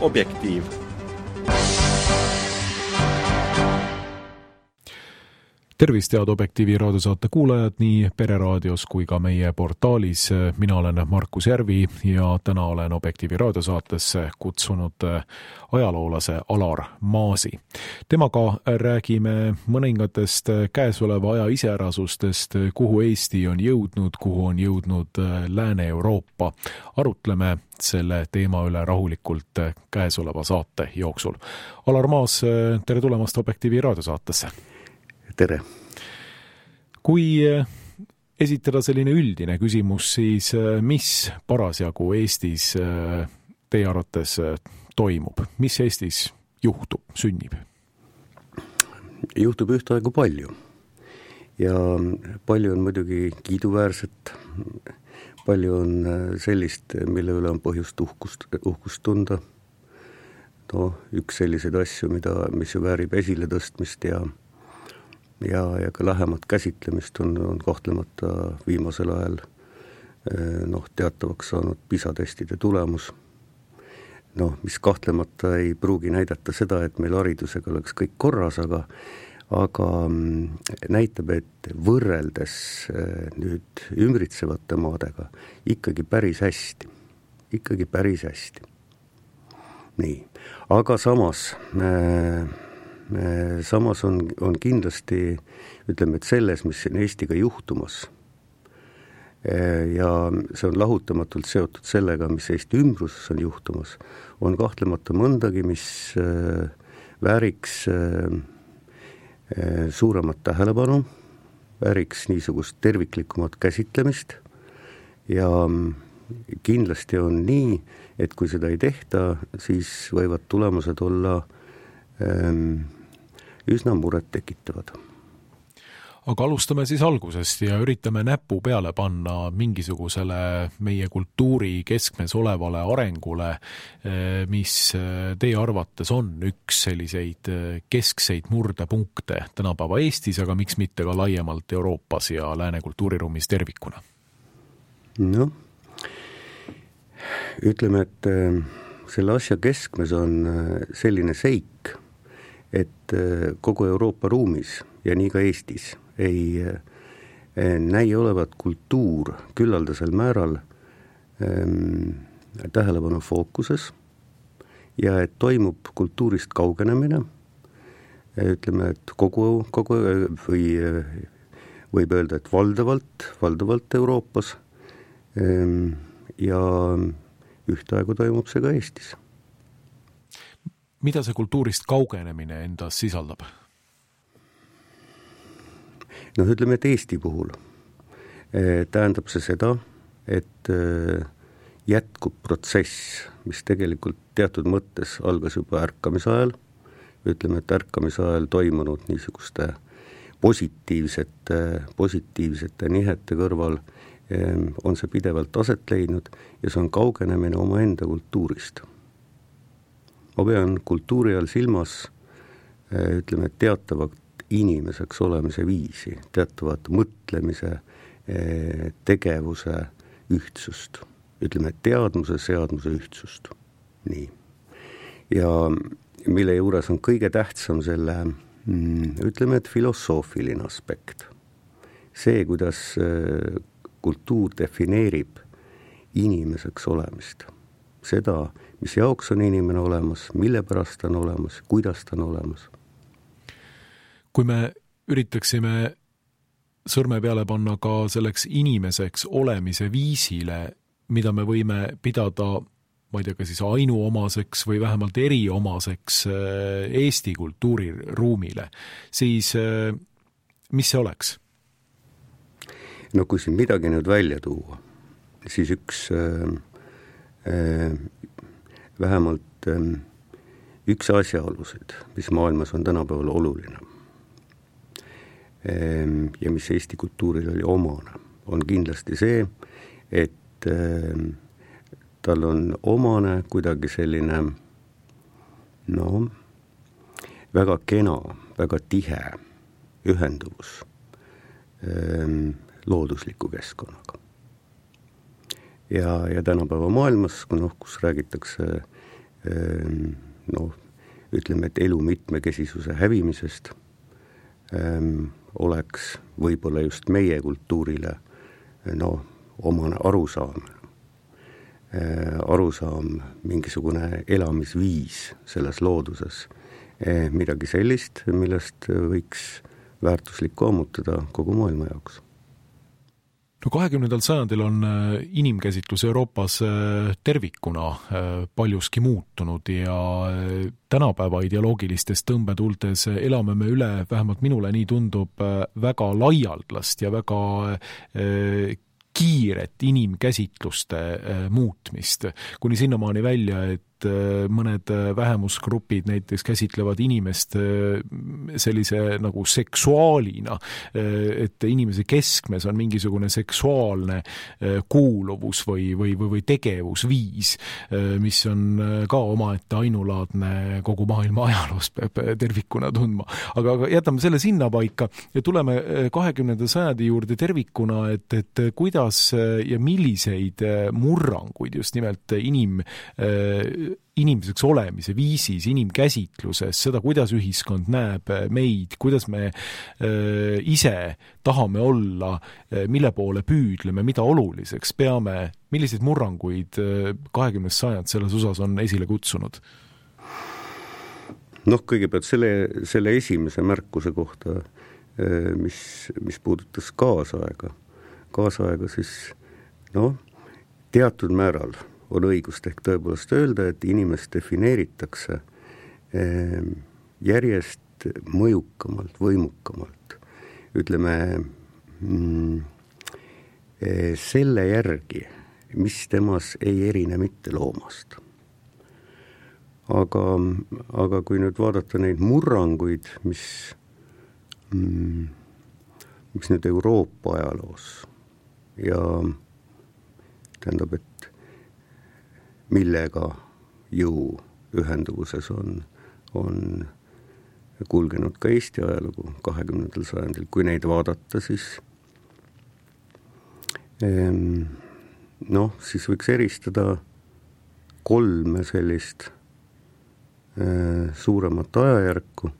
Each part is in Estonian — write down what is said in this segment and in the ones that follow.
Objektiiv. Tervist, head Objektiivi raadiosaate kuulajad nii Pereraadios kui ka meie portaalis. Mina olen Markus Järvi ja täna olen Objektiivi raadiosaatesse kutsunud ajaloolase Alar Maasi. Temaga räägime mõningatest käesoleva aja iseärasustest, kuhu Eesti on jõudnud, kuhu on jõudnud Lääne-Euroopa. Arutleme selle teema üle rahulikult käesoleva saate jooksul. Alar Maas, tere tulemast Objektiivi raadiosaatesse. Tere. Kui esitada selline üldine küsimus, siis mis parasjagu Eestis teie arvates toimub? Mis Eestis juhtub, sünnib? Juhtub ühtaegu palju. Ja palju on muidugi kiiduväärset, palju on sellist, mille üle on põhjust uhkust tunda. No, üks selliseid asju, mis ju väärib esile tõstmist ja ka lähemat käsitlemist on kahtlemata viimasel ajal teatavaks saanud PISA-testide tulemus. Mis kahtlemata ei pruugi näidata seda, et meil haridusega oleks kõik korras, aga näitab, et võrreldes nüüd ümbritsevate maadega ikkagi päris hästi. Nii, aga samas on kindlasti, ütleme, et selles, mis on Eestiga juhtumas ja see on lahutamatult seotud sellega, mis Eesti ümbruses on juhtumas, on kahtlemata mõndagi, mis vääriks suuremat tähelepanu, vääriks niisugust terviklikumat käsitlemist ja kindlasti on nii, et kui seda ei tehta, siis võivad tulemused olla üsna muret tekitavad. Aga alustame siis algusest ja üritame näpu peale panna mingisugusele meie kultuuri keskmes olevale arengule, mis teie arvates on üks selliseid keskseid murdepunkte tänapäeva Eestis, aga miks mitte ka laiemalt Euroopas ja lääne kultuuriruumis tervikuna? No, ütleme, et selle asja keskmes on selline seik, et kogu Euroopa ruumis ja nii ka Eestis ei näi olevat kultuur küllaldasel määral tähelepanu fookuses ja et toimub kultuurist kaugenemine, ütleme, et kogu või võib öelda, et valdavalt Euroopas ja ühtaegu toimub see ka Eestis. Mida see kultuurist kaugenemine endas sisaldab? Ütleme, et Eesti puhul tähendab see seda, et jätkub protsess, mis tegelikult teatud mõttes algas juba ärkamise ajal, ütleme, et ärkamise ajal toimunud niisuguste positiivsete nihete kõrval on see pidevalt aset leidnud ja see on kaugenemine omaenda kultuurist. Ma pean kultuuri all silmas, ütleme, teatavat inimeseks olemise viisi, teatavat mõtlemise, tegevuse ühtsust, ütleme, teadmuse, seadmuse ühtsust. Nii. Ja mille juures on kõige tähtsam selle, ütleme, et filosoofiline aspekt. See, kuidas kultuur defineerib inimeseks olemist. Seda, mis jaoks on inimene olemas, mille pärast on olemas, kuidas ta on olemas. Kui me üritaksime sõrme peale panna ka selleks inimeseks olemise viisile, mida me võime pidada, ma ei tea, ka siis ainuomaseks või vähemalt eriomaseks Eesti kultuuriruumile, siis mis see oleks? Kui siin midagi nüüd välja tuua, siis vähemalt üks asjaolusid, mis maailmas on tänapäeval oluline ja mis Eesti kultuuril oli omane, on kindlasti see, et tal on omane kuidagi selline väga kena, väga tihe ühenduvus loodusliku keskkonnaga. Ja tänapäeva maailmas, kus räägitakse ütleme, et elu mitmekesisuse hävimisest oleks võib-olla just meie kultuurile omane arusaam, mingisugune elamisviis selles looduses, midagi sellist, millest võiks väärtuslikku ammutada kogu maailma jaoks. 20. sajandil on inimkäsitlus Euroopas tervikuna paljuski muutunud ja tänapäeva ideoloogilistes tõmbetultes elame me üle, vähemalt minule nii tundub, väga laialdast ja väga kiiret inimkäsitluste muutmist, kuni sinnamaani välja, et mõned vähemusgrupid näiteks käsitlevad inimest sellise nagu seksuaalina, et inimese keskmes on mingisugune seksuaalne kuuluvus või tegevusviis, mis on ka omaette ainulaadne kogu maailma ajaloos, peab tervikuna tundma. Aga jätame selle sinna paika ja tuleme 20. sajandi juurde tervikuna, et kuidas ja milliseid murranguid just nimelt inimeseks olemise viisis, inimkäsitluses, seda, kuidas ühiskond näeb meid, kuidas me ise tahame olla, mille poole püüdleme, mida oluliseks peame, milliseid murranguid 20. sajand selles osas on esile kutsunud? Kõigepealt selle esimese märkuse kohta, mis puudutas kaasaega, siis teatud määral on õigust ehk tõepoolest öelda, et inimest defineeritakse järjest mõjukamalt, võimukamalt. Ütleme, selle järgi, mis temas ei erine mitte loomast. Aga kui nüüd vaadata neid murranguid, mis nüüd Euroopa ajaloos ja tähendab, et millega jõu ühenduvuses on kulgenud ka Eesti ajalugu 20. sajandil, kui neid vaadata, siis siis võiks eristada 3 sellist suuremat ajajärku.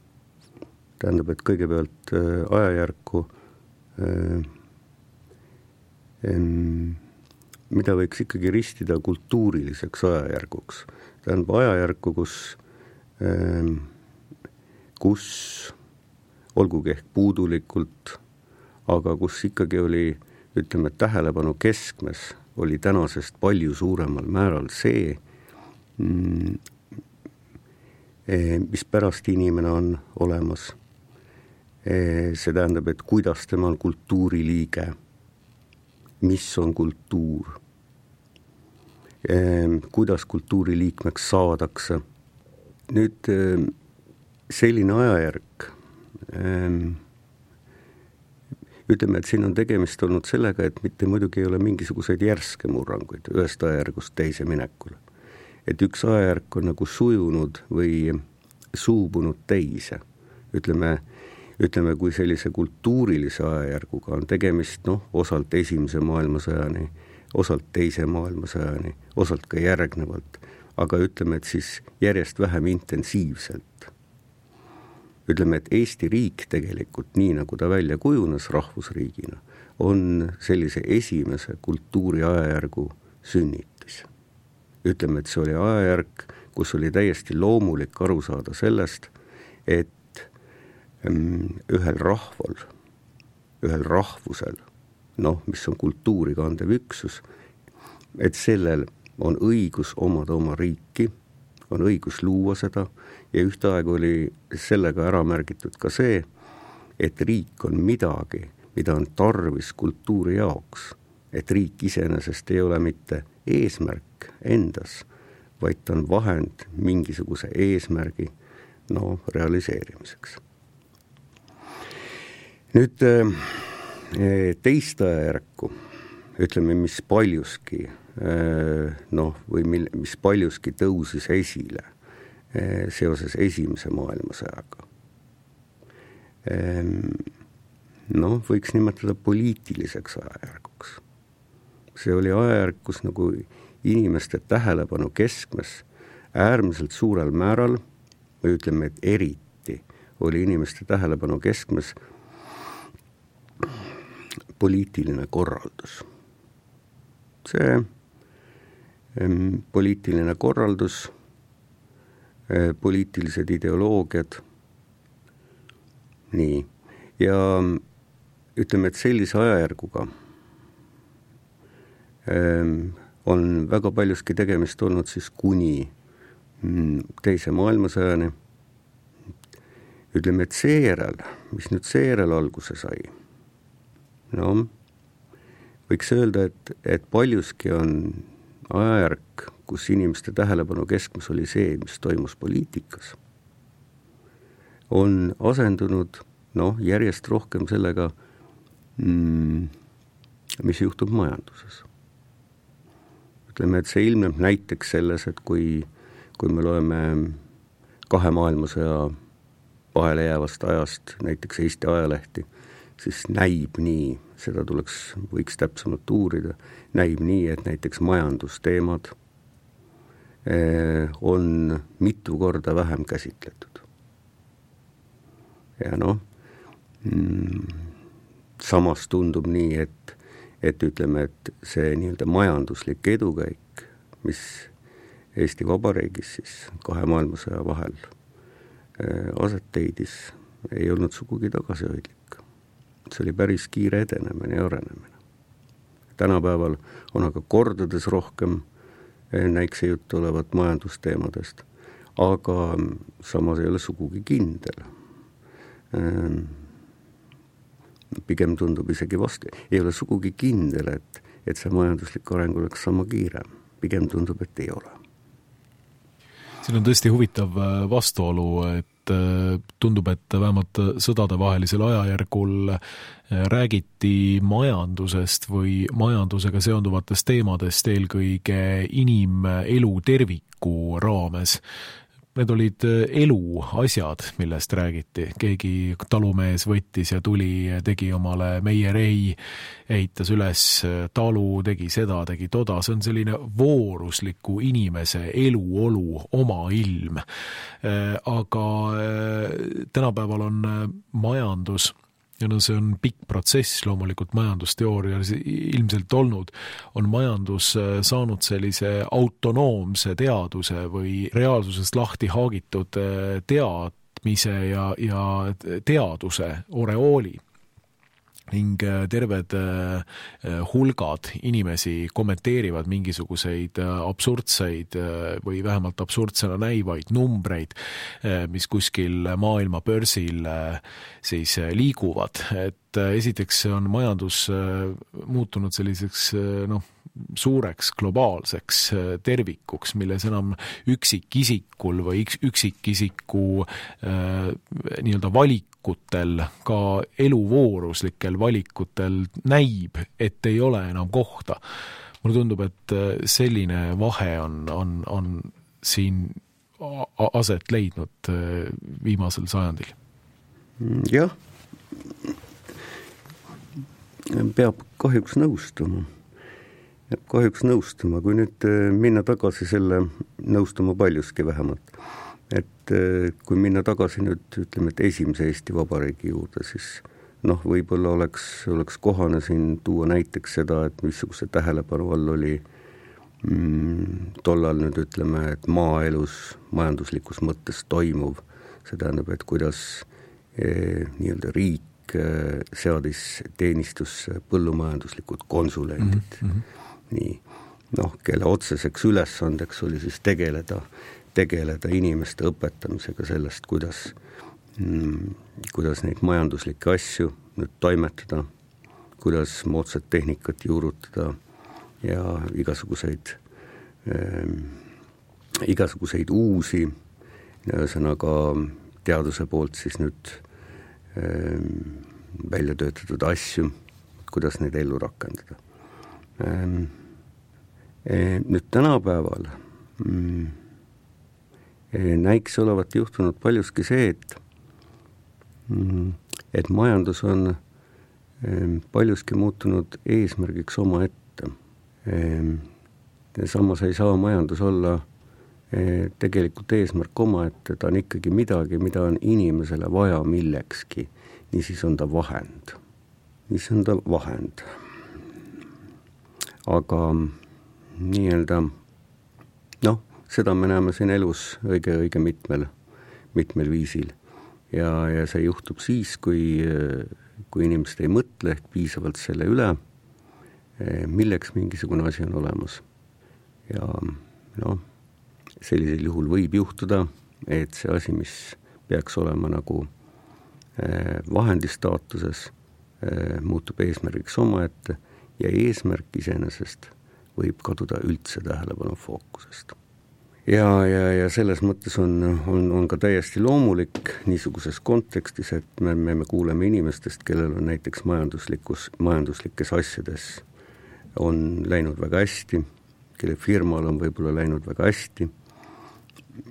Tähendab, et kõigepealt ajajärku, mida võiks ikkagi ristida kultuuriliseks ajajärguks. Tähendab ajajärku, kus olgugi ehk puudulikult, aga kus ikkagi oli, ütleme, tähelepanu keskmes oli tänasest palju suuremal määral see, mis pärast inimene on olemas. See tähendab, et kuidas tema on kultuuriliige, mis on kultuur, kuidas kultuuriliikmeks saadakse. Nüüd selline ajajärk, ütleme, et siin on tegemist olnud sellega, et mitte muidugi ei ole mingisuguseid järske murranguid ühest ajajärgust teise minekul. Et üks ajajärk on nagu sujunud või suubunud teise. Ütleme, kui sellise kultuurilise ajajärguga on tegemist, osalt esimese maailmasõjani, osalt teise maailmasõjani, osalt ka järgnevalt, aga ütleme, et siis järjest vähem intensiivselt. Ütleme, et Eesti riik tegelikult, nii nagu ta välja kujunes rahvusriigina, on sellise esimese kultuuri ajajärgu sünnitis. Ütleme, et see oli ajajärk, kus oli täiesti loomulik aru saada sellest, et ühel rahval, ühel rahvusel, mis on kultuuri kandev üksus, et sellel on õigus omada oma riiki, on õigus luua seda ja ühtaegu oli sellega ära märgitud ka see, et riik on midagi, mida on tarvis kultuuri jaoks, et riik iseenesest ei ole mitte eesmärk endas, vaid ta on vahend mingisuguse eesmärgi realiseerimiseks. Nüüd teist ajajärku, ütleme, mis paljuski mis paljuski tõusis esile seoses esimese maailmasõjaga. Võiks nimetada poliitiliseks ajajärguks. See oli ajajärk, kus nagu inimeste tähelepanu keskmes äärmiselt suurel määral, või ütleme, et eriti oli inimeste tähelepanu keskmes poliitiline korraldus. See poliitiline korraldus, poliitilised ideoloogiad, nii. Ja ütleme, et sellise ajajärguga on väga paljuski tegemist olnud siis kuni teise maailmasõjani. Ütleme, et seejärel, mis nüüd seejärel alguse sai, no võiks öelda, et paljuski on ajajärk, kus inimeste tähelepanu keskmes oli see, mis toimus poliitikas, on asendunud järjest rohkem sellega, mis juhtub majanduses. Ütleme, et see ilmneb näiteks selles, et kui me loeme 2 maailmasõja vahele jäävast ajast näiteks Eesti ajalehti, siis näib nii, seda võiks täpsemalt uurida, näib nii, et näiteks majandusteemad on mitu korda vähem käsitletud. Ja samas tundub nii, et ütleme, et see nii-öelda majanduslik edukäik, mis Eesti Vabariigis siis 2 maailmasõja vahel aset leidis, ei olnud sugugi tagasihoidlik. See oli päris kiire edenemine ja arenemine. Tänapäeval on aga kordades rohkem näikse juttu olevat majandusteemadest, aga samas ei ole sugugi kindel. Pigem tundub isegi vastu. Ei ole sugugi kindel, et see majanduslik areng oleks sama kiire. Pigem tundub, et ei ole. Siin on tõesti huvitav vastuolu, et tundub, et vähemalt sõdadevahelisel ajajärgul räägiti majandusest või majandusega seonduvatest teemadest eelkõige inimelu terviku raames. Need olid eluasjad, millest räägiti. Keegi talumees võttis ja tuli, tegi omale meierei, ehitas üles talu, tegi seda, tegi toda. See on selline voorusliku inimese eluolu, oma ilm. Aga tänapäeval on majandus, ja see on pikk protsess loomulikult majandusteoorias ilmselt olnud, on majandus saanud sellise autonoomse teaduse või reaalsusest lahti haagitud teadmise ja teaduse oreooli. Ning terved hulgad inimesi kommenteerivad mingisuguseid absurdseid või vähemalt absurdsena näivaid numbreid, mis kuskil maailma börsil siis liiguvad. Et esiteks on majandus muutunud selliseks suureks globaalseks tervikuks, milles enam üksikisikul või üksikisiku nii-öelda valikutel, ka eluvooruslikel valikutel näib, et ei ole enam kohta. Mulle tundub, et selline vahe on siin aset leidnud viimasel sajandil. Jah, peab kahjuks nõustuma. Kui nüüd minna tagasi nõustuma paljuski vähemalt, et kui minna tagasi nüüd, ütleme, et esimese Eesti Vabariigi juurde, siis võib-olla oleks kohane siin tuua näiteks seda, et missuguse tähelepanu all oli tollal nüüd ütleme, et maaelus majanduslikus mõttes toimuv, see tähendab, et kuidas nii-öelda riik seadis teenistusse põllumajanduslikud konsulendid. Nii, kelle otseseks ülesandeks oli siis tegeleda inimeste õpetamisega sellest, kuidas neid majanduslikke asju nüüd toimetada, kuidas moodsat tehnikat juurutada ja igasuguseid uusi, ühesõnaga teaduse poolt siis nüüd välja töötatud asju, kuidas neid ellu rakendada. Nüüd tänapäeval näiks olevat juhtunud paljuski see, et majandus on paljuski muutunud eesmärgiks oma ette. Samas ei saa majandus olla tegelikult eesmärk omaette, ta on ikkagi midagi, mida on inimesele vaja millekski. Niisiis on ta vahend. Aga nii-öelda, seda me näeme siin elus õige mitmel viisil. Ja see juhtub siis, kui inimesed ei mõtle ehk piisavalt selle üle, milleks mingisugune asi on olemas. Ja sellisel juhul võib juhtuda, et see asi, mis peaks olema nagu vahendi staatuses, muutub eesmärgiks omaette ja eesmärk iseenesest võib kaduda üldse tähelepanu fookusest. Ja selles mõttes on ka täiesti loomulik niisuguses kontekstis, et me kuuleme inimestest, kellel on näiteks majanduslikes asjades on läinud väga hästi, kelle firmal on võib-olla läinud väga hästi,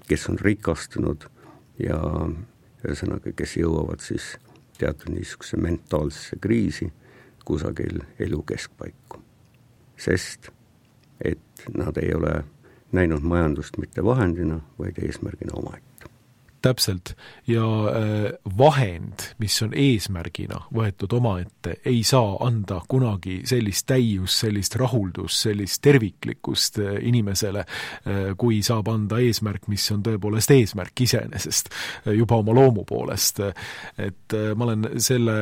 kes on rikastunud ja ühesõnaga, kes jõuavad siis teatud niisuguse mentaalsesse kriisi kusagil elu keskpaiku. Sest, et nad ei ole näinud majandust mitte vahendina, vaid eesmärgina omaette. Täpselt. Ja vahend, mis on eesmärgina võetud omaette, ei saa anda kunagi sellist täius, sellist rahuldus, sellist terviklikkust inimesele, kui saab anda eesmärk, mis on tõepoolest eesmärk iseenesest, juba oma loomu poolest. Et ma olen selle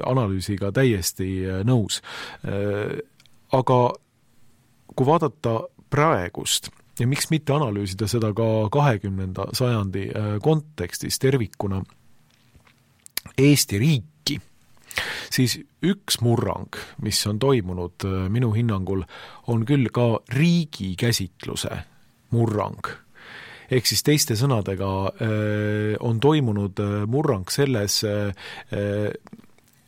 analüüsiga täiesti nõus. Aga kui vaadata praegust, ja miks mitte analüüsida seda ka 20. sajandi kontekstis tervikuna Eesti riiki, siis üks murrang, mis on toimunud minu hinnangul, on küll ka riigi käsitluse murrang. Ehk siis teiste sõnadega on toimunud murrang selles,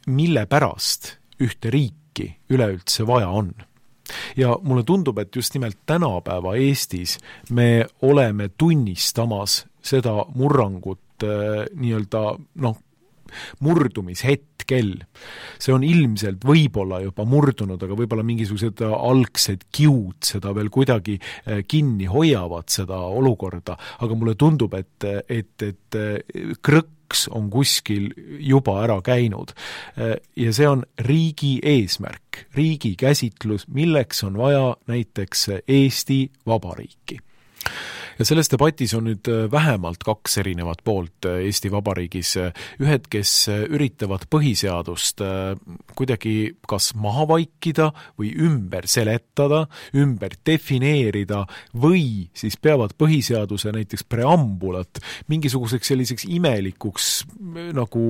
mille pärast ühte riiki üleüldse vaja on. Ja mulle tundub, et just nimelt tänapäeva Eestis me oleme tunnistamas seda murrangut nii-öelda murdumishetkel. See on ilmselt võib-olla juba murdunud, aga võib-olla mingisugused algsed kiud seda veel kuidagi kinni hoiavad seda olukorda, aga mulle tundub, et krõks on kuskil juba ära käinud. Ja see on riigi eesmärk, riigi käsitlus, milleks on vaja näiteks Eesti Vabariiki. Ja selles debatis on nüüd vähemalt 2 erinevat poolt Eesti Vabariigis. Ühed, kes üritavad põhiseadust kuidagi kas maha vaikida või ümber seletada, ümber defineerida või siis peavad põhiseaduse näiteks preambulat mingisuguseks selliseks imelikuks nagu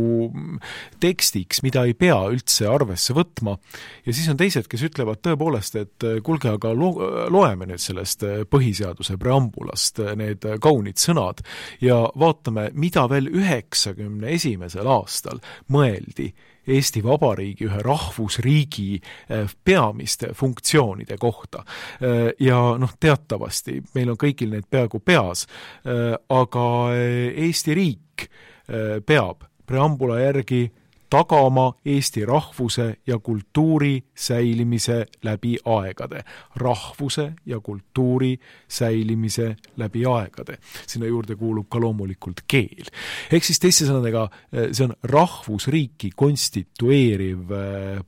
tekstiks, mida ei pea üldse arvesse võtma. Ja siis on teised, kes ütlevad tõepoolest, et kuulge, aga loeme nüüd sellest põhiseaduse preambulast need kaunid sõnad ja vaatame, mida veel 91. aastal mõeldi Eesti Vabariigi ühe rahvusriigi peamiste funktsioonide kohta. Ja teatavasti, meil on kõigil need peaaegu peas, aga Eesti riik peab preambula järgi tagama Eesti rahvuse ja kultuuri säilimise läbi aegade. Rahvuse ja kultuuri säilimise läbi aegade. Sinna juurde kuulub ka loomulikult keel. Ehk siis teiste sõnadega, see on rahvusriiki konstitueeriv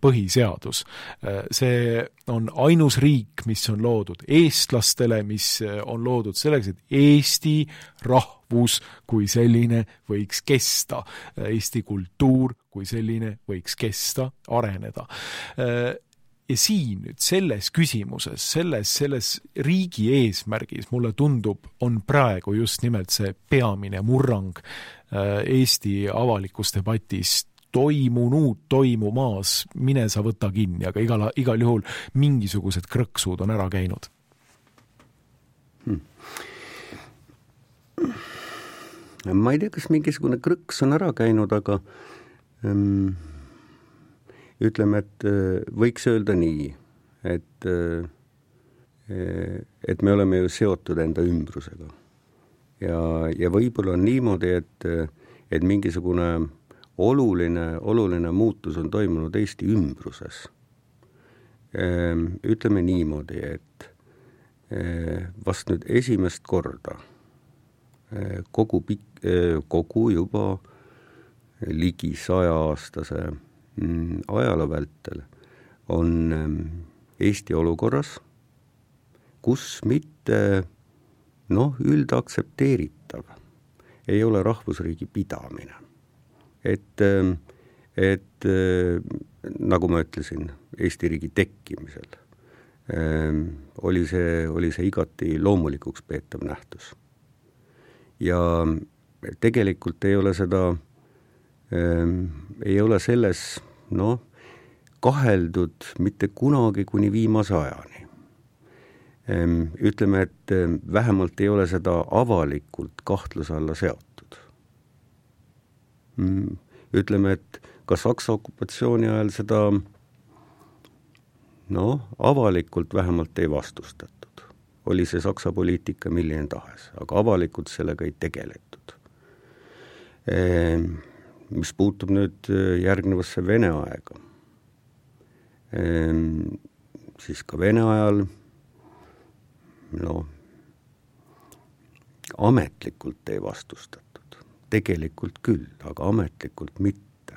põhiseadus. See on ainus riik, mis on loodud eestlastele, mis on loodud selleks, et Eesti rahvus kui selline võiks kesta. Eesti kultuur kui selline võiks kesta, areneda. Ja siin nüüd selles küsimuses, selles riigi eesmärgis, mulle tundub, on praegu just nimelt see peamine murrang Eesti avalikus debatis toimumas, mine sa võta kinni, aga igal juhul mingisugused krõksud on ära käinud. Ma ei tea, kas mingisugune krõks on ära käinud, aga ütleme, et võiks öelda nii, et me oleme ju seotud enda ümbrusega. Ja võib-olla on niimoodi, et mingisugune oluline muutus on toimunud Eesti ümbruses. Ütleme niimoodi, vast nüüd esimest korda kogu juba ligi 100-aastase ajaloo vältel on Eesti olukorras, kus mitte üldaktsepteeritav ei ole rahvusriigi pidamine. Et nagu ma ütlesin, Eesti riigi tekkimisel oli see igati loomulikuks peetav nähtus. Ja tegelikult ei ole selles kaheldud mitte kunagi kuni viimase ajani. Ütleme, et vähemalt ei ole seda avalikult kahtluse alla seotud. Ütleme, et ka Saksa okupatsiooni ajal seda avalikult vähemalt ei vastustatud. Oli see Saksa poliitika milline tahes, aga avalikult sellega ei tegeletud. Mis puutub nüüd järgnevasse Vene aega, siis ka Vene ajal ametlikult ei vastustatud. Tegelikult küll, aga ametlikult mitte.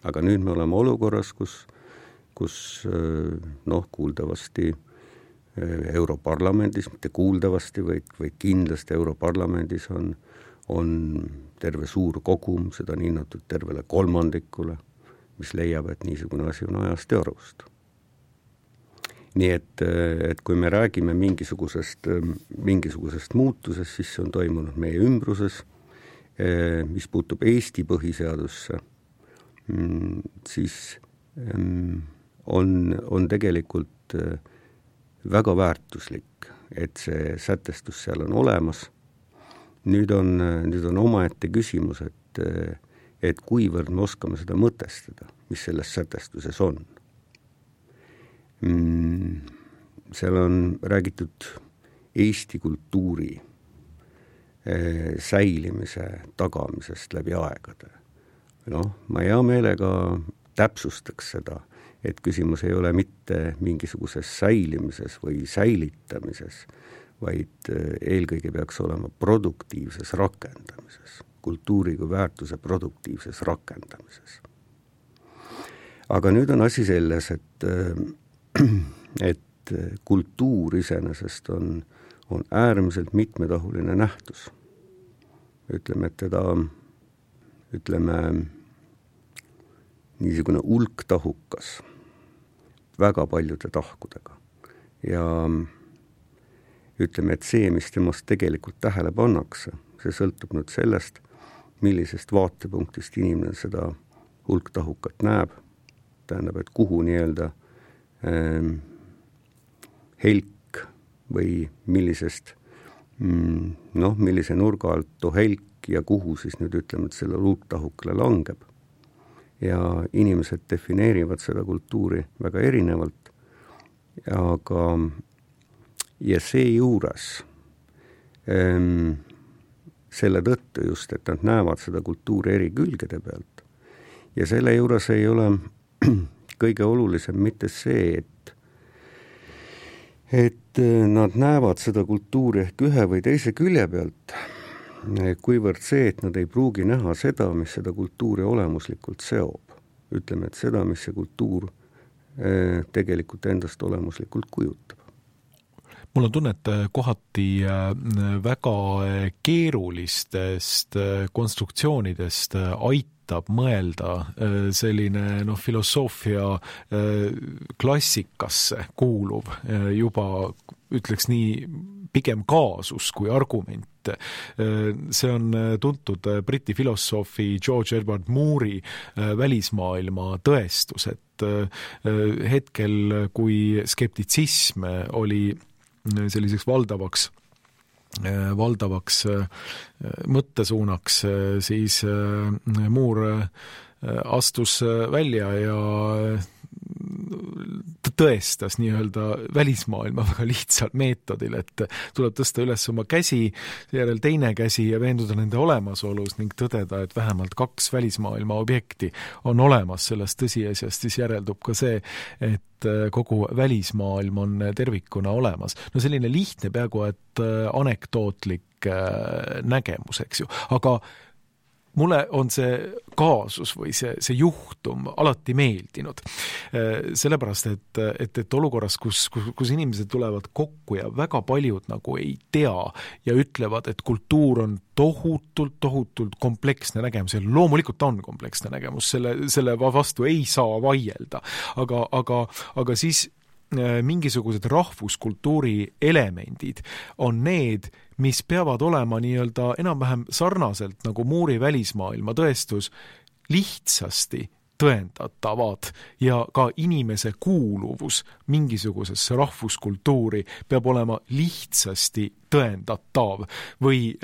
Aga nüüd me oleme olukorras, kus kuuldavasti Europarlamendis, mitte kuuldavasti, vaid kindlasti Europarlamendis on terve suur kogum, seda hinnatud tervele kolmandikule, mis leiab, et niisugune asi on ajast ja arust. Nii et kui me räägime mingisugusest muutusest, siis see on toimunud meie ümbruses, mis puutub Eesti põhiseadusse, siis on tegelikult väga väärtuslik, et see sätestus seal on olemas. Nüüd on omaette küsimus, et kuivõrd me oskame seda mõtestada, mis selles sätestuses on. Seal on räägitud Eesti kultuuri säilimise tagamisest läbi aegade. Ma hea meelega täpsustaks seda, et küsimus ei ole mitte mingisuguses säilimises või säilitamises, vaid eelkõige peaks olema produktiivses rakendamises, kultuuri kui väärtuse produktiivses rakendamises. Aga nüüd on asi selles, et kultuur iseenesest on äärmiselt mitmetahuline nähtus. Ütleme, et teda niisugune ulktahukas väga paljude tahkudega. Ja ütleme, et see, mis temast tegelikult tähele pannakse, see sõltub nüüd sellest, millisest vaatepunktist inimene seda hulktahukat näeb. Tähendab, et kuhu nii-öelda helk või millisest, millise nurga alt too helk ja kuhu siis nüüd ütleme, et selle hulktahukale langeb. Ja inimesed defineerivad seda kultuuri väga erinevalt, ja seejuures selle tõttu just, et nad näevad seda kultuuri eri külgede pealt. Ja selle juures ei ole kõige olulisem mitte see, et nad näevad seda kultuuri ehk ühe või teise külje pealt, kuivõrd see, et nad ei pruugi näha seda, mis seda kultuuri olemuslikult seob. Ütleme, et seda, mis see kultuur tegelikult endast olemuslikult kujutab. Mul on tunne, et kohati väga keerulistest konstruktsioonidest aitab mõelda selline filosoofia klassikasse kuuluv juba, ütleks nii, pigem kaasus kui argument. See on tuntud Briti filosoofi George Edward Moore'i välismaailma tõestus, et hetkel, kui skeptitsism oli selliseks valdavaks mõttesuunaks, siis Moore astus välja ja tõestas nii-öelda välismaailma väga lihtsal meetodil, et tuleb tõsta üles oma käsi, järel teine käsi ja veenduda nende olemasolus ning tõdeda, et vähemalt 2 välismaailma objekti on olemas. Sellest tõsiasjast siis järeldub ka see, et kogu välismaailm on tervikuna olemas. No selline lihtne, peaaegu et anekdootlik nägemus, eks ju, aga mulle on see kaasus või see juhtum alati meeldinud. Sellepärast, et olukorras, kus inimesed tulevad kokku ja väga paljud nagu ei tea ja ütlevad, et kultuur on tohutult kompleksne nägemus ja loomulikult on kompleksne nägemus, selle vastu ei saa vaielda, aga siis mingisugused rahvuskultuuri elemendid on need, mis peavad olema nii-öelda enam-vähem sarnaselt nagu muuri välismaailma tõestus lihtsasti tõendatavad ja ka inimese kuuluvus mingisugusesse rahvuskultuuri peab olema lihtsasti tõendatav või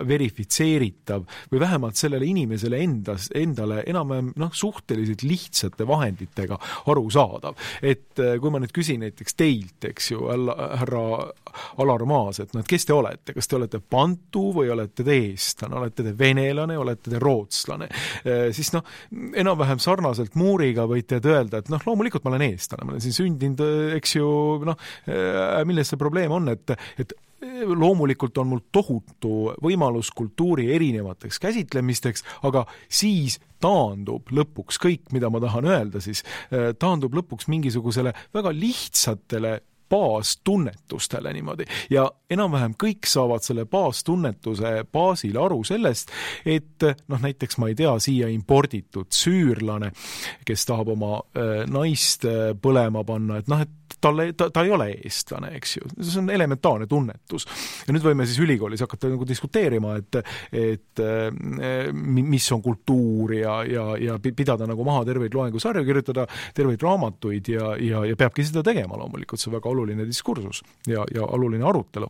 verifitseeritav või vähemalt sellele inimesele endale enam-vähem suhteliselt lihtsate vahenditega arusaadav. Et kui ma nüüd küsin näiteks teilt, eks ju, härra Alar Maas, et kes te olete? Kas te olete bantu või olete te eestlane? Olete te venelane, olete te rootslane? Siis enam-vähem sarnaselt muuriga võite öelda, et loomulikult ma olen eestlane, ma olen siin sündinud, eks ju, milles see probleem on, et loomulikult on mul tohutu võimalus kultuuri erinevateks käsitlemisteks, aga siis taandub lõpuks kõik, mida ma tahan öelda, siis taandub lõpuks mingisugusele väga lihtsatele baastunnetustele niimoodi. Ja enam-vähem kõik saavad selle baastunnetuse baasil aru sellest, et näiteks ma ei tea, siia imporditud süürlane, kes tahab oma naist põlema panna, et ta ei ole eestlane, eks ju. See on elementaarne tunnetus. Ja nüüd võime siis ülikoolis hakata diskuteerima, et mis on kultuur ja pidada nagu maha terveid loengusarju, kirjutada terveid raamatuid ja peabki seda tegema loomulikult. See on väga oluline diskursus ja oluline arutelu.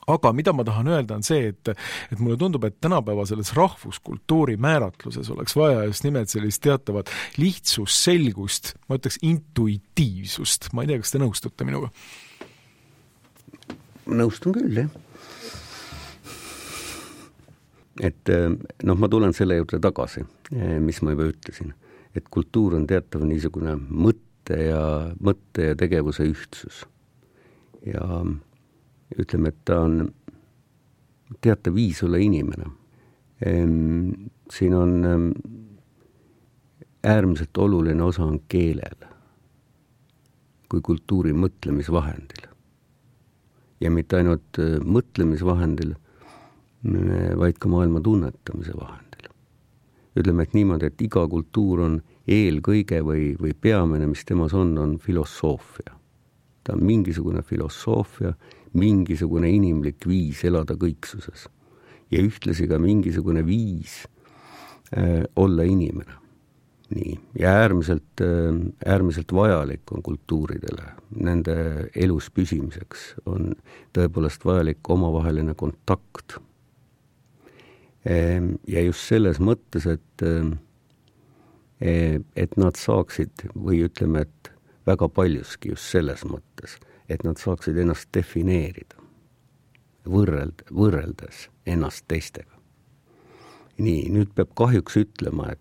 Aga mida ma tahan öelda on see, et mulle tundub, et tänapäeva selles rahvuskultuuri määratluses oleks vaja just nimelt sellist teatavat lihtsust, selgust, ma ütleks intuitiivsust. Ma ei tea, kas te nõustute minuga? Nõustun küll, jah. Et ma tulen selle juurde tagasi, mis ma juba ütlesin. Et kultuur on teatav niisugune mõtte ja tegevuse ühtsus. Ja ütleme, et ta on teatav viis olla inimene. Siin on äärmiselt oluline osa on keelel kui kultuuri mõtlemisvahendil. Ja mitte ainult mõtlemisvahendil, vaid ka maailma tunnetamise vahendil. Ütleme, et niimoodi, et iga kultuur on eelkõige või peamine, mis temas on filosoofia. Ta on mingisugune filosoofia, mingisugune inimlik viis elada kõiksuses ja ühtlasi ka mingisugune viis olla inimene. Nii. Ja äärmiselt vajalik on kultuuridele, nende elus püsimiseks on tõepoolest vajalik omavaheline kontakt. Ja just selles mõttes, et nad saaksid, või ütleme, et väga paljuski just selles mõttes, et nad saaksid ennast defineerida, võrreldes ennast teistega. Nii, nüüd peab kahjuks ütlema, et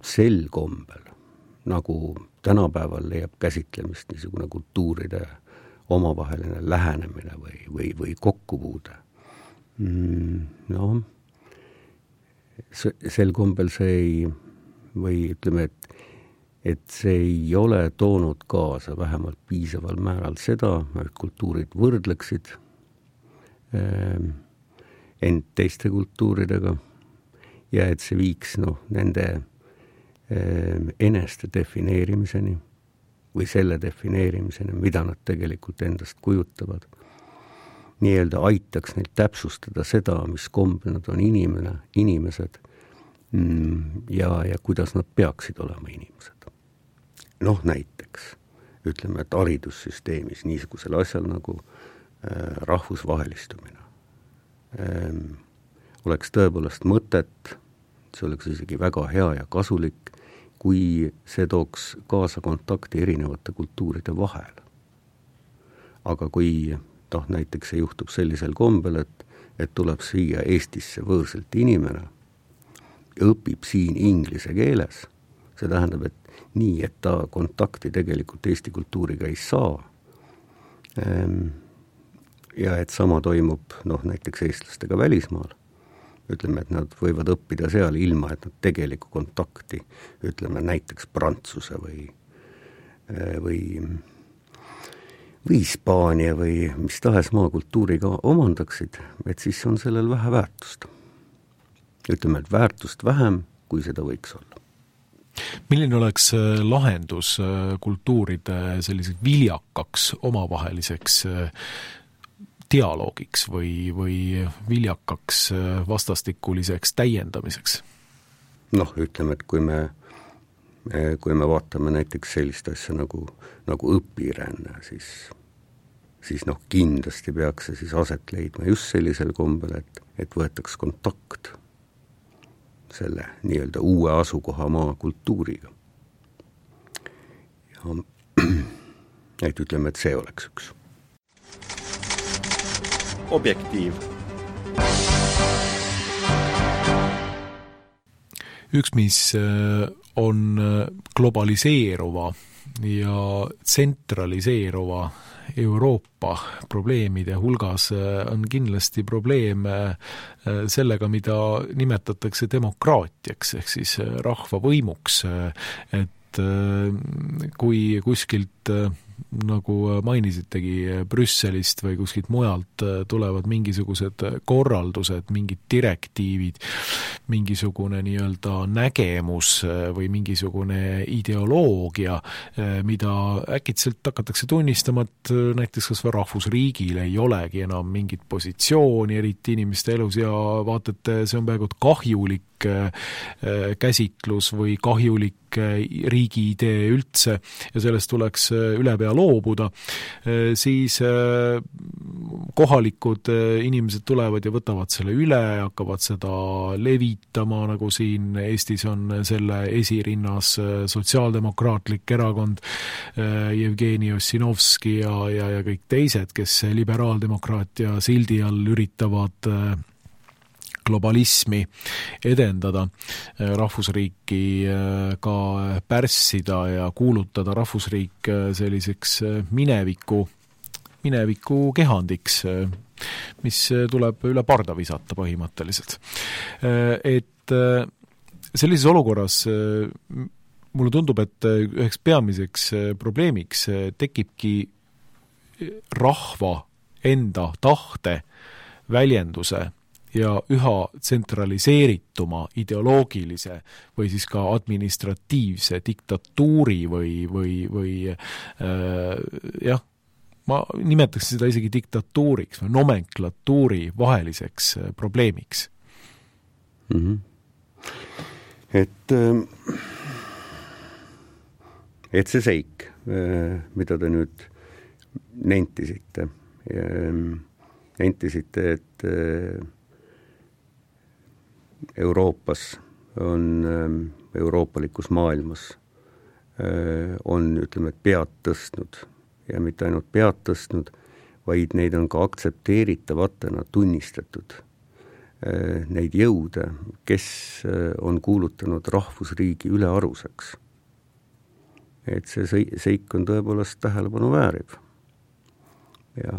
sel kombel, nagu tänapäeval leiab käsitlemist niisugune kultuuride omavaheline lähenemine või kokkupuude. Sel kombel see ei, või ütleme, et see ei ole toonud kaasa vähemalt piisaval määral seda, et kultuurid võrdleksid end teiste kultuuridega ja et see viiks nende eneste defineerimiseni või selle defineerimiseni, mida nad tegelikult endast kujutavad. Nii-öelda aitaks neil täpsustada seda, mis kombel nad on inimesed ja kuidas nad peaksid olema inimesed. Näiteks, ütleme, et haridussüsteemis niisugusel asjal nagu rahvusvahelistumine oleks tõepoolest mõtet see oleks isegi väga hea ja kasulik, kui see tooks kaasa kontakti erinevate kultuuride vahel. Aga kui näiteks see juhtub sellisel kombel, et tuleb siia Eestisse võõrselt inimene ja õpib siin inglise keeles, see tähendab, et nii, et ta kontakti tegelikult Eesti kultuuriga ei saa. Ja et sama toimub näiteks eestlastega välismaal. Ütleme, et nad võivad õppida seal ilma, et nad tegeliku kontakti, ütleme näiteks prantsuse või Hispaania või mis tahes maakultuuriga omandaksid, et siis on sellel vähe väärtust. Ütleme, et väärtust vähem, kui seda võiks olla. Milline oleks lahendus kultuuride selliseks viljakaks omavaheliseks dialoogiks või viljakaks vastastikuliseks täiendamiseks? Ütleme, et kui me vaatame näiteks sellist asja nagu õpiränne, siis kindlasti peaks see siis aset leidma just sellisel kombel, et võetaks kontakt selle nii-öelda uue asukohamaa kultuuriga. Ja et ütleme, et see oleks üks. Objektiiv. Üks, mis on globaliseeruva ja tsentraliseeruva Euroopa probleemide hulgas, on kindlasti probleem sellega, mida nimetatakse demokraatiaks, ehk siis rahvavõimuks, et kui kuskilt, nagu mainisitegi, Brüsselist või kuskilt mujalt tulevad mingisugused korraldused, mingid direktiivid, mingisugune nii-öelda nägemus või mingisugune ideoloogia, mida äkitselt hakatakse tunnistama, et näiteks kas või rahvusriigil ei olegi enam mingit positsiooni eriti inimeste elus ja vaatate, see on peaaegu kahjulik käsitlus või kahjulik riigi idee üldse ja sellest tuleks ülepea loobuda, siis kohalikud inimesed tulevad ja võtavad selle üle, hakkavad seda levitama, nagu siin Eestis on selle esirinnas sotsiaaldemokraatlik erakond, Jevgeni Ossinovski ja kõik teised, kes liberaaldemokraatia sildi all üritavad globalismi edendada, rahvusriiki ka pärssida ja kuulutada rahvusriik selliseks mineviku kehandiks, mis tuleb üle parda visata põhimõtteliselt. Et sellises olukorras mulle tundub, et üheks peamiseks probleemiks tekibki rahva enda tahte väljenduse ja üha tsentraliseerituma ideoloogilise või siis ka administratiivse diktatuuri või ma nimetaks seda isegi diktatuuriks või nomenklatuuri vaheliseks probleemiks. Mm-hmm. Et see seik, mida te nüüd nentisite, et Euroopas on, euroopalikus maailmas on, ütleme, pead tõstnud ja mitte ainult pead tõstnud, vaid neid on ka aktsepteeritavatena tunnistatud neid jõude, kes on kuulutanud rahvusriigi ülearuseks. Et see seik on tõepoolest tähelepanu vääriv. Ja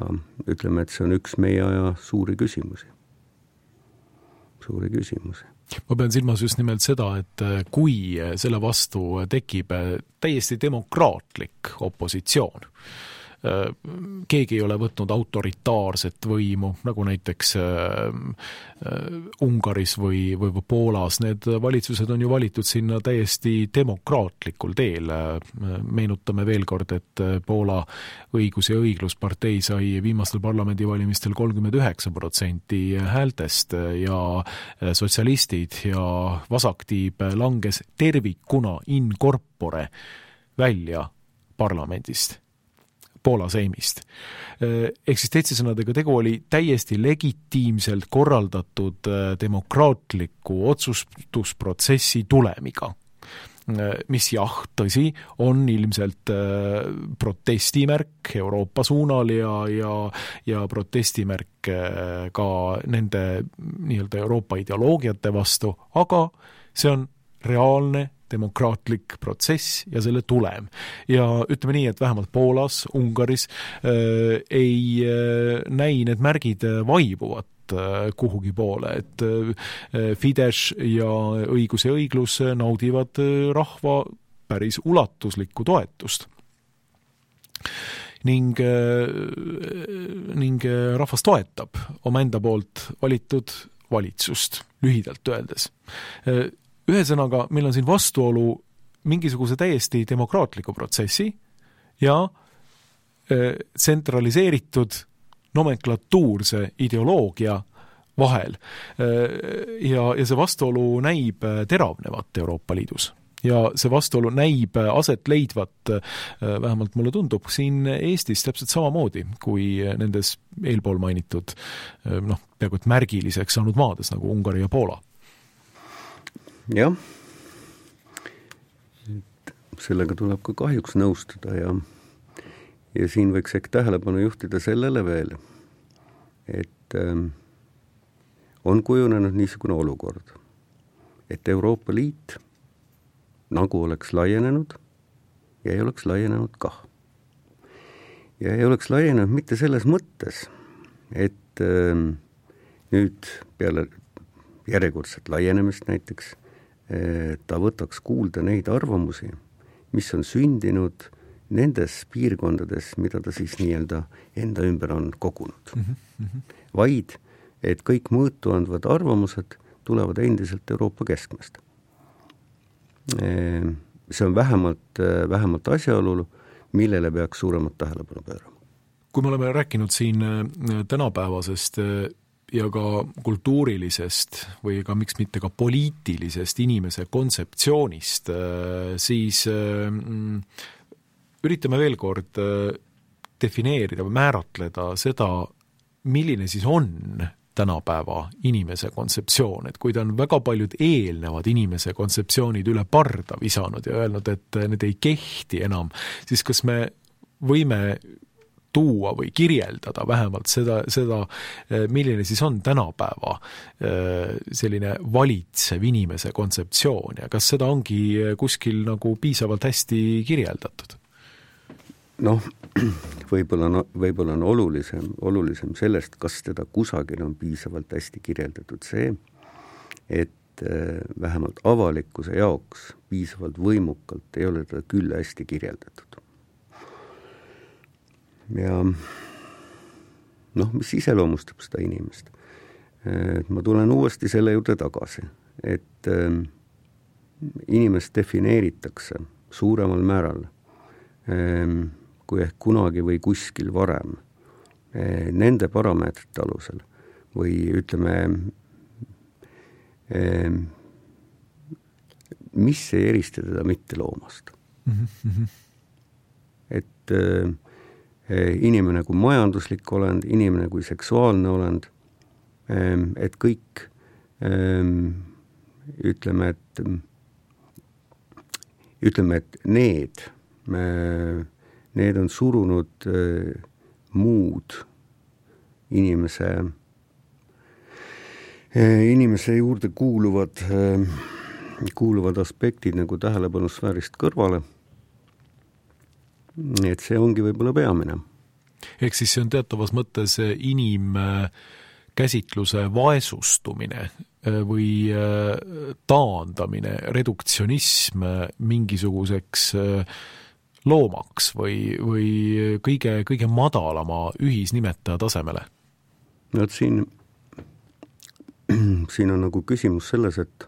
ütleme, et see on üks meie aja suuri küsimusi. Ma pean silmas just nimelt seda, et kui selle vastu tekib täiesti demokraatlik opositsioon, keegi ei ole võtnud autoritaarset võimu, nagu näiteks Ungaris või Poolas. Need valitsused on ju valitud sinna täiesti demokraatlikul teel. Meenutame veel kord, et Poola õigus- ja õigluspartei sai viimastel parlamendivalimistel 39% häältest ja sotsialistid ja vasaktiib langes tervikuna in corpore välja parlamendist. Poola seimist. Ehk siis teiste sõnadega tegu oli täiesti legitiimselt korraldatud demokraatliku otsustusprotsessi tulemiga, mis tõsi, on ilmselt protestimärk Euroopa suunal ja protestimärk ka nende nii-öelda Euroopa ideoloogiate vastu, aga see on reaalne demokraatlik protsess ja selle tulem. Ja ütleme nii, et vähemalt Poolas, Ungaris ei näi need märgid vaibuvat kuhugi poole, et Fidesz ja õigus ja õiglus naudivad rahva päris ulatuslikku toetust. Ning rahvas toetab omaenda poolt valitud valitsust, lühidalt öeldes. Ühesõnaga, meil on siin vastuolu mingisuguse täiesti demokraatliku protsessi ja tsentraliseeritud nomenklatuurse ideoloogia vahel. Ja see vastuolu näib teravnevat Euroopa Liidus. Ja see vastuolu näib aset leidvat, vähemalt mulle tundub, siin Eestis täpselt samamoodi kui nendes eelpool mainitud peaaegu et märgiliseks saanud maades nagu Ungari ja Poola. Jah, sellega tuleb ka kahjuks nõustuda ja siin võiks ehk tähelepanu juhtida sellele veel, et on kujunenud niisugune olukord, et Euroopa Liit nagu oleks laienenud ja ei oleks laienenud kah. Ja ei oleks laienenud mitte selles mõttes, et nüüd peale järjekordset laienemist näiteks ta võtaks kuulda neid arvamusi, mis on sündinud nendes piirkondades, mida ta siis nii-öelda enda ümber on kogunud. Vaid, et kõik mõõtu andvad arvamused tulevad endiselt Euroopa keskmest. See on vähemalt asjaolu, millele peaks suuremat tähelepanu pöörama. Kui me oleme rääkinud siin tänapäevasest ja ka kultuurilisest või ka miks mitte ka poliitilisest inimese kontseptsioonist, siis üritame veel kord defineerida või määratleda seda, milline siis on tänapäeva inimese kontseptsioon, et kui ta on väga paljud eelnevad inimese kontseptsioonid üle parda visanud ja öelnud, et need ei kehti enam, siis kas me võime tuua või kirjeldada vähemalt seda, milline siis on tänapäeva selline valitsev inimese kontseptsioon ja kas seda ongi kuskil nagu piisavalt hästi kirjeldatud? Võib-olla on olulisem sellest, kas teda kusagil on piisavalt hästi kirjeldatud see, et vähemalt avalikkuse jaoks piisavalt võimukalt ei ole teda küll hästi kirjeldatud. Ja mis iseloomustab seda inimest? Ma tulen uuesti selle juurde tagasi, et inimest defineeritakse suuremal määral kui ehk kunagi või kuskil varem nende parameetrite alusel või ütleme, mis ei erista teda mitte loomast. Et inimene kui majanduslik olend, inimene kui seksuaalne olend, et kõik ütleme, et need on surunud muud inimese juurde kuuluvad aspektid nagu tähelepanusfäärist kõrvale. Et see ongi võib-olla peamine. Ehk siis see on teatavas mõttes inimkäsitluse vaesustumine või taandamine, reduktsionism mingisuguseks loomaks või kõige madalama ühisnimetaja tasemele? Siin on nagu küsimus selles, et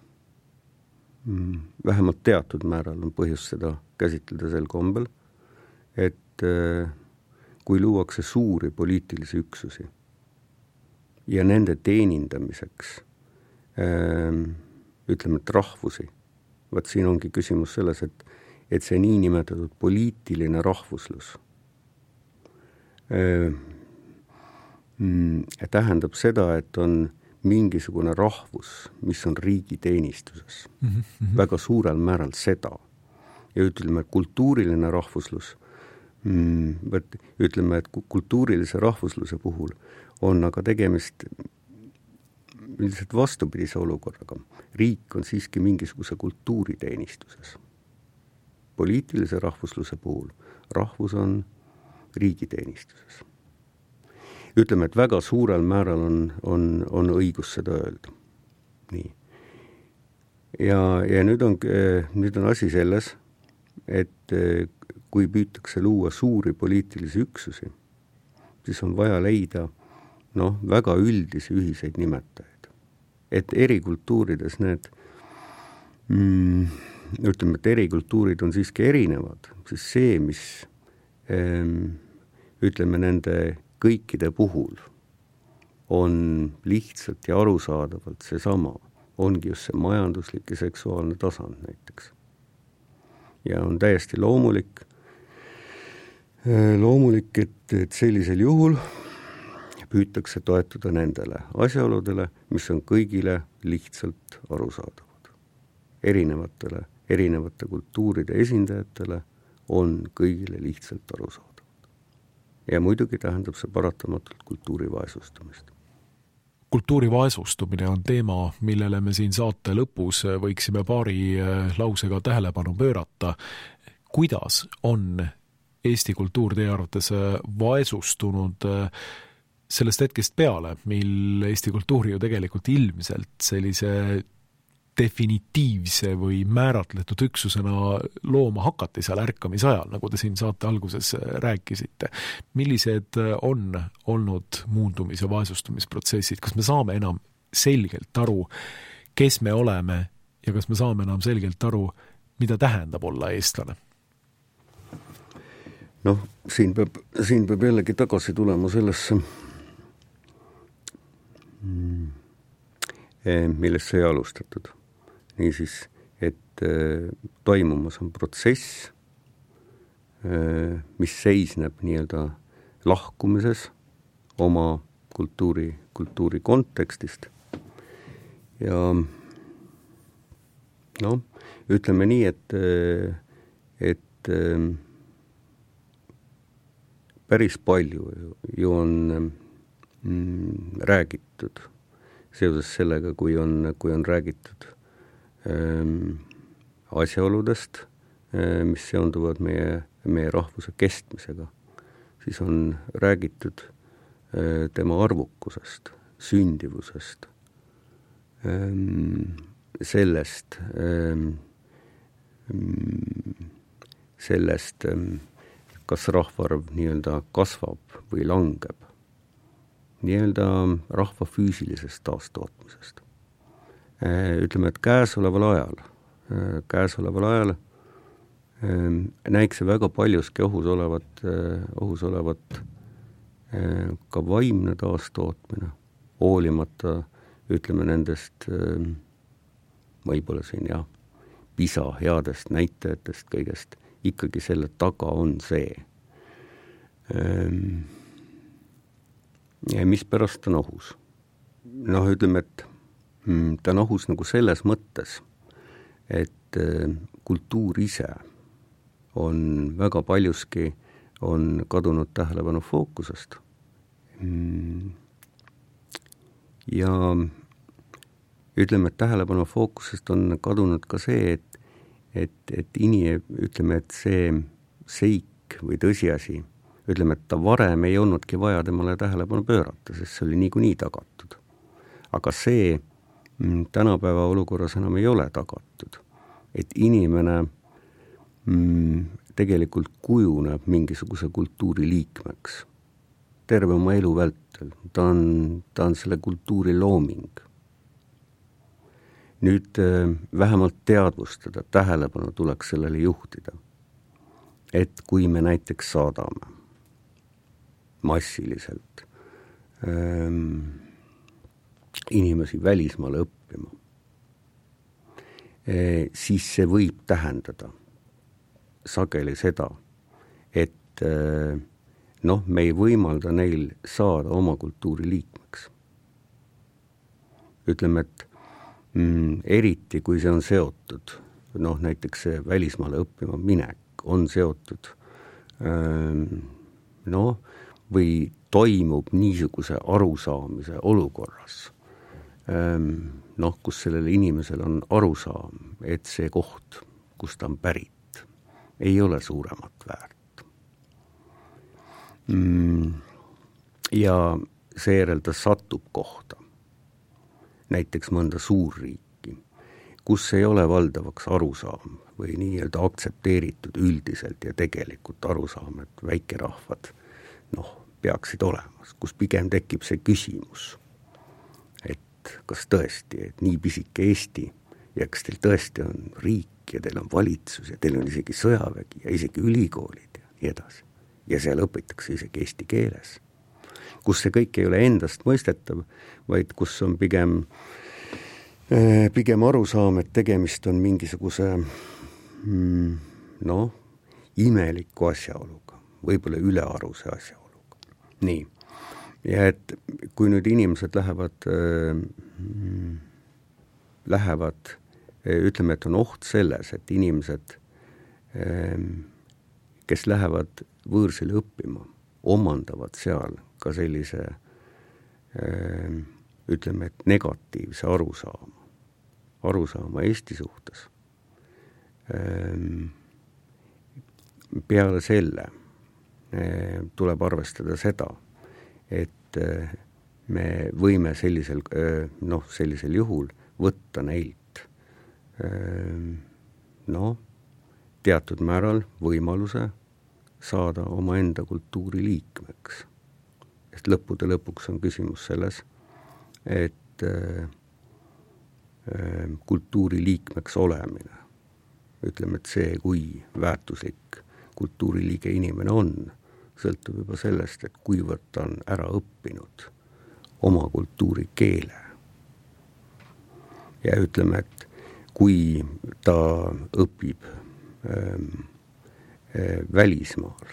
vähemalt teatud määral on põhjus seda käsitleda sel kombel, et kui luuakse suuri poliitilisi üksusi ja nende teenindamiseks ütleme, et rahvusi, vaat siin ongi küsimus selles, et see niinimetatud poliitiline rahvuslus tähendab seda, et on mingisugune rahvus, mis on riigi teenistuses. Väga suurel määral seda. Ja ütleme, et kultuuriline rahvuslus, ütleme, et kultuurilise rahvusluse puhul on aga tegemist üldiselt vastupidise olukorraga. Riik on siiski mingisuguse kultuuriteenistuses. Poliitilise rahvusluse puhul rahvus on riigiteenistuses. Ütleme, et väga suurel määral on õigus seda öelda. Nii. Ja nüüd on asi selles, et kui püütakse luua suuri poliitilisi üksusi, siis on vaja leida väga üldisi ühiseid nimetajaid. Et eri kultuurides need, ütleme, et eri kultuurid on siiski erinevad, siis see, mis ütleme nende kõikide puhul on lihtsalt ja arusaadavalt seesama, ongi just see majanduslik ja seksuaalne tasand näiteks. Ja on täiesti loomulik, et sellisel juhul püütakse toetuda nendele asjaoludele, mis on kõigile lihtsalt arusaadavad. Erinevate kultuuride esindajatele on kõigile lihtsalt arusaadavad. Ja muidugi tähendab see paratamatult kultuuri vaesustumist. Kultuuri vaesustumine on teema, millele me siin saate lõpus võiksime paari lausega tähelepanu pöörata. Kuidas on Eesti kultuur teie arvates vaesustunud sellest hetkest peale, mil Eesti kultuuri ju tegelikult ilmselt sellise definitiivse või määratletud üksusena looma hakati seal ärkamisajal, nagu te siin saate alguses rääkisite. Millised on olnud muundumis- ja vaesustumisprotsessid? Kas me saame enam selgelt aru, kes me oleme ja kas me saame enam selgelt aru, mida tähendab olla eestlane? Siin peab jällegi tagasi tulema sellesse, millest sai alustatud. Niisiis, et toimumas on protsess, mis seisneb nii-öelda lahkumises oma kultuuri kontekstist. Ja ütleme nii, et päris palju ju on räägitud seoses sellega, kui on räägitud asjaoludest, mis seonduvad meie rahvuse kestmisega, siis on räägitud tema arvukusest, sündivusest, sellest, kas rahvaarv nii-öelda kasvab või langeb, nii-öelda rahva füüsilisest taastootmisest. Ütleme, et käesoleval ajal näiks see väga paljuski ohus olevat ka vaimne taastootmine, hoolimata, ütleme, nendest võib-olla siin pisa headest näitajatest kõigest, ikkagi selle taga on see, mis pärast on ohus. Ütleme, et ta on ohus nagu selles mõttes, et kultuur ise on väga paljuski on kadunud tähelepanu fookusest. Ja ütleme, et tähelepanu fookusest on kadunud ka see, et ütleme, et see seik või tõsiasi, ütleme, et ta varem ei olnudki vaja temale tähelepanu pöörata, sest see oli niikuinii tagatud. Aga see tänapäeva olukorras enam ei ole tagatud, et inimene tegelikult kujuneb mingisuguse kultuuri liikmeks terve oma elu vältel. Ta on selle kultuuri looming. Nüüd vähemalt teadvustada, tähelepanu tuleks sellele juhtida, et kui me näiteks saadame massiliselt inimesi välismaale õppima, siis see võib tähendada sageli seda, et me ei võimalda neil saada oma kultuuri liikmeks. Ütleme, et eriti kui see on seotud, näiteks see välismaale õppima minek on seotud, või toimub niisuguse arusaamise olukorras, kus sellel inimesel on arusaam, et see koht, kus ta on pärit, ei ole suuremat väärt. Ja seejärel ta satub kohta, näiteks mõnda suurriiki, kus ei ole valdavaks arusaam või nii-öelda aktsepteeritud üldiselt ja tegelikult arusaam, et väikerahvad peaksid olemas, kus pigem tekib see küsimus, et kas tõesti, et nii pisike Eesti ja kas teil tõesti on riik ja teil on valitsus ja teil on isegi sõjavägi ja isegi ülikoolid ja nii edasi. Ja seal õpitakse isegi eesti keeles, kus see kõik ei ole endast mõistetav, vaid kus on pigem arusaam, et tegemist on mingisuguse imeliku asjaoluga, võib-olla ülearuse asjaoluga. Nii, ja et kui nüüd inimesed lähevad, ütleme, et on oht selles, et inimesed, kes lähevad võõrsile õppima, omandavad seal ka sellise, ütleme, et negatiivse arusaama Eesti suhtes. Peale selle tuleb arvestada seda, et me võime sellisel juhul võtta neilt teatud määral võimaluse saada omaenda kultuuri liikmeks. Sest lõppude lõpuks on küsimus selles, et kultuuri liikmeks olemine, ütleme, et see, kui väärtuslik kultuuriliige inimene on, sõltub juba sellest, et kuivõrd ta on ära õppinud oma kultuuri keele. Ja ütleme, et kui ta õpib välismaal,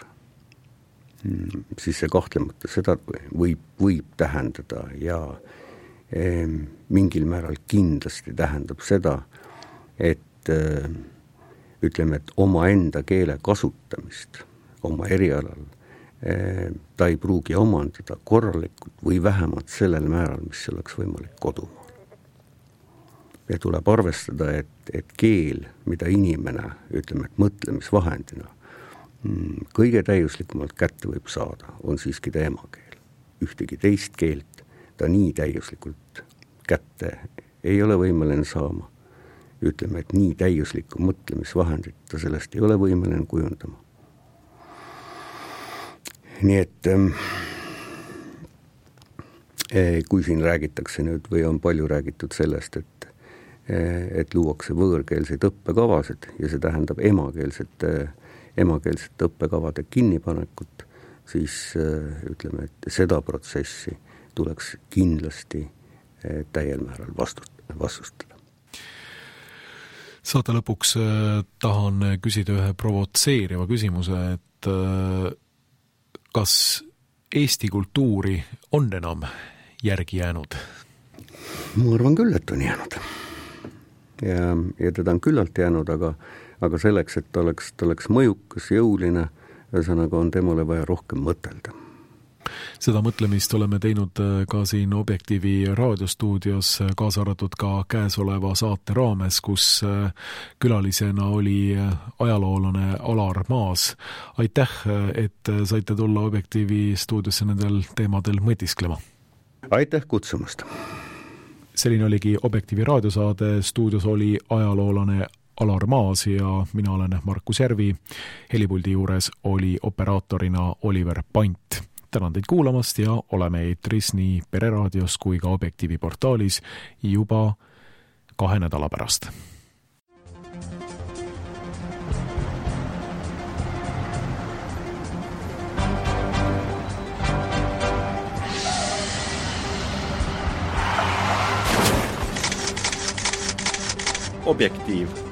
siis see kahtlemata seda võib tähendada ja mingil määral kindlasti tähendab seda, et ütleme, et oma enda keele kasutamist oma erialal ta ei pruugi omandada korralikult või vähemalt sellel määral, mis oleks võimalik kodumaal. Ja tuleb arvestada, et keel, mida inimene, ütleme, et mõtlemisvahendina kõige täiuslikumalt kätte võib saada, on siiski ta emakeel. Ühtegi teist keelt ta nii täiuslikult kätte ei ole võimeline saama. Ütleme, et nii täiuslikku mõtlemisvahendit ta sellest ei ole võimeline kujundama. Nii et kui siin räägitakse nüüd või on palju räägitud sellest, et luuakse võõrkeelseid õppekavasid ja see tähendab emakeelsete õppekavade kinnipanekut, siis ütleme, et seda protsessi tuleks kindlasti täiel määral vastustada. Saate lõpuks tahan küsida ühe provotseeriva küsimuse, et kas Eesti kultuuri on enam järgi jäänud? Ma arvan küll, et on jäänud. Ja teda on küllalt jäänud, aga selleks, et ta oleks mõjukas, jõuline, ühesõnaga on temale vaja rohkem mõtelda. Seda mõtlemist oleme teinud ka siin Objektiivi raadiostuudios, kaasa arvatud ka käesoleva saate raames, kus külalisena oli ajaloolane Alar Maas. Aitäh, et saite tulla Objektiivi stuudiosse nendel teemadel mõtisklema. Aitäh kutsumast! Selline oligi Objektiivi raadiosaade, stuudios oli ajaloolane Alar Maas ja mina olen Markus Järvi. Helipuldi juures oli operaatorina Oliver Pant. Tänan teid kuulamast ja oleme eetris nii Pereraadios kui ka Objektiivi portaalis juba 2 nädala pärast. Objektiiv.